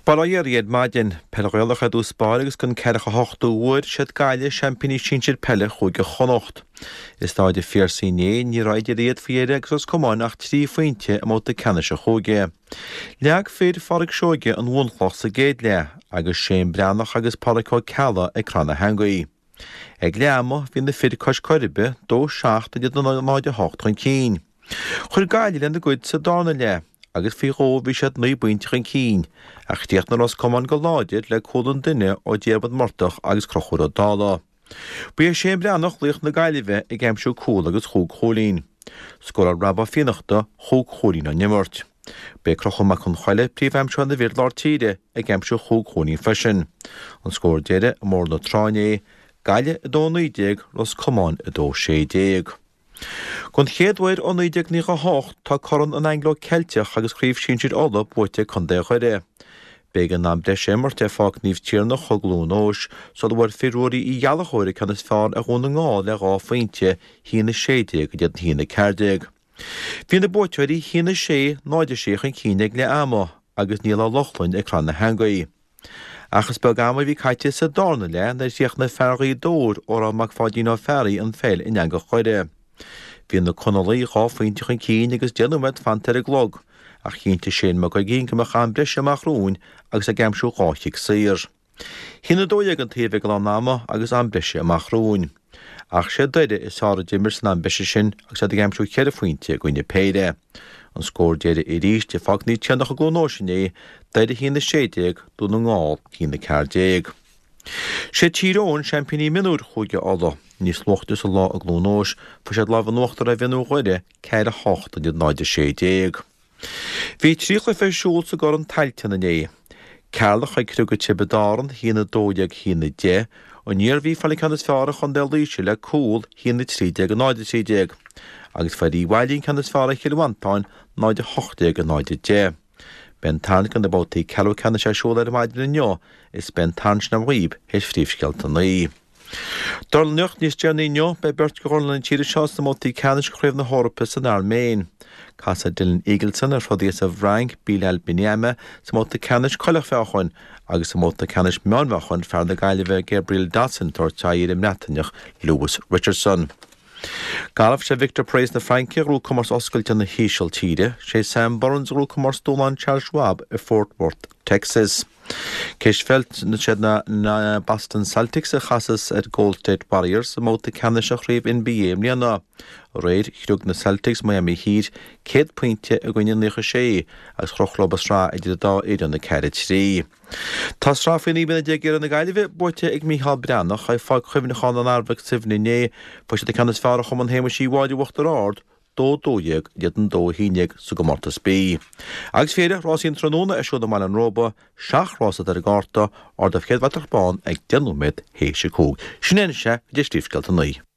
Bail ó Dhia oraibh ar maidin. Peil Ghaelach ar dtús báire agus den ceathracha hochtú huair, siad Gaillimh seaimpíní sinsir peile Chúige Chonnacht. I Stáid an Phiarsaigh inné, ní raibh idir iad faoi dheireadh agus Ros Comáin ach 3 phointe i mbabhta ceannais an chúige. Leag fir Phádraic Seoige an bhunchloch sa gcéad leath agus Shane Breathnach agus Pádraic Ó Ceallaigh ag cur na heangaí. Ag leath ama, bhí na fir cois Coiribe, 2 7 in éadan 0 8 chun cinn. Chuir Gaillimh lena gcuid sa darna leath agus faoi dhó bhí siad 9 bpointe chun cinn, ach chríochnaigh Ros Comáin go láidir le cúl an duine ó Diarmuid Murtagh agus Conchúr Ó Dálaigh. Ba é Shane Breathnach laoch na Gaillimhe ag aimsiú cúl agus chúig chúilín. Scóráil Rob Ó Fiannachta chúig chúilín ón imirt. Ba é Conchúr Mac Con Choille príomhaimseoir na bhfir lár tíre ag aimsiú chúig chúilín freisin. An scór deiridh i mBóthar na Trá inné, Gaillimh 2 19, Ros Comáin 2 16. Don chéad uair ó 1998 tá Corn an Anglo-Ceilteach agus Craobh Sinsir Uladh buaite ag Contae Dhoire. B'éigean am breise a imirt ar Pháirc Naomh Tiarnach i gCluain Eois sula bhfuair fir Ruairí Uí Ghallchóir an ceann is fearr ar Dhún na nGall le 2 phointe, 1-16 in éadan 1-14. Bhí na buaiteoirí 1-6, 0-6 chun cinn ag leath ama agus Niall Ó Lochlainn ag cur na heangaí. Ach is beag ama a bhí caite sa darna leath nuair a chríochnaigh fear Ghaoth Dobhair, Odhrán Mac Pháidín Ó Fearraigh an pheil in eangach Dhoire. Bhí na Conallaigh 2 phointe chun cinn agus 10 nóiméad fanta ar an gclog, ach chinntigh Shane Mac Uiginn go mbeadh am breise amach romhainn agus é ag aimsiú 2 chic saor. 1-12 an taobh ag lán ama agus am breise amach romhainn. Ach sé Doire is fearr a d'imir san am breise sin agus iad ag aimsiú cheithre phointe i gcoinne péire. An scór deiridh arís i bPáirc Naomh Tiarnach i gCluain Eois inné, Doire 1-16, Dún na nGall 1-14. Sé Tír Eoghain seaimpíní mionúir Chúige Uladh. Níos luaithe sa lá i gCluain Eois, fuair siad lámh in uachtar ar mhionúir Dhoire, 4 8 in éadan 0-16. Bhí 3 chluiche ar siúl sa gCorn Tailteann inné. Ceatharlach ag criogadh Tiobraid Árann, 1-12, 1-10, An Iarmhí ag fáil an ceann is fearr ar Chontae Laoise le cúl, 1-13, 0-13, agus fuair Uíbh Fhailí an ceann is fearr ar Chill Mhantáin, 0-18, 0-10. Beidh an tarraingt do na babhtaí ceathrú ceannais ar siúl ar maidin inniu is beidh an tarraingt sin agam dhaoib théis phríomhscéalta a naoi. Dornálaíocht níos deireanaí inniu, beidh beirt de dhornálaithe na tíre seo sna mbabhtaí ceannais de Chraobh na hEorpa san Airméin. Casfaidh Dylan Eagleson ar throdaí as an bhFrainc, Bilal Benyamah, sa mbabhta ceannais coileachmheáchain agus sa mbabhta ceannais meánmheáchain fear na Gaillimhe Gabriel Dossen ag tabhairt aghaidh ar an mBreataineach Lewis Richardson. Galf, Sé Victor Perez na Fraince a ghnóthaigh comórtas oscailte na hÍsiltíre. Sé Sam Burns a ghnóthaigh comórtas Dúshlán Charles Schwab i Fort Worth, Texas. Cispheil, Siad na Boston Celtics a chasas ar Gold State Warriors sa mbabhta ceannais de chraobh NBA i mbliana. Aréir, chriog na Celtics Miami Heat 100 pointe i gcoinne 96 agus chroch leo an tsraith idir an dá fhoireann 4-3. Tá sraith faoi 19 bliana d'fhoireann na Gaillimhe buaite ag Mícheál Breathnach i Pháirc Chuimhneacháin an Arbhaigh Suibhne inné. Fuair siad an ceann is fearr ar Chumann Shéamuis Uí Mháille Uachtar Ard, 2 12 in éadan 2 11 sa gcomórtas B. Agus faoi dheireadh, rásaí an tráthnóna ar siúl i mBaile an Róba, 7 rás atá ar an gcárta, ardú chéad bhratach bán ag 10 nóiméad théis a 5. Sin é anois é, go dtí Príomhscéalta 9.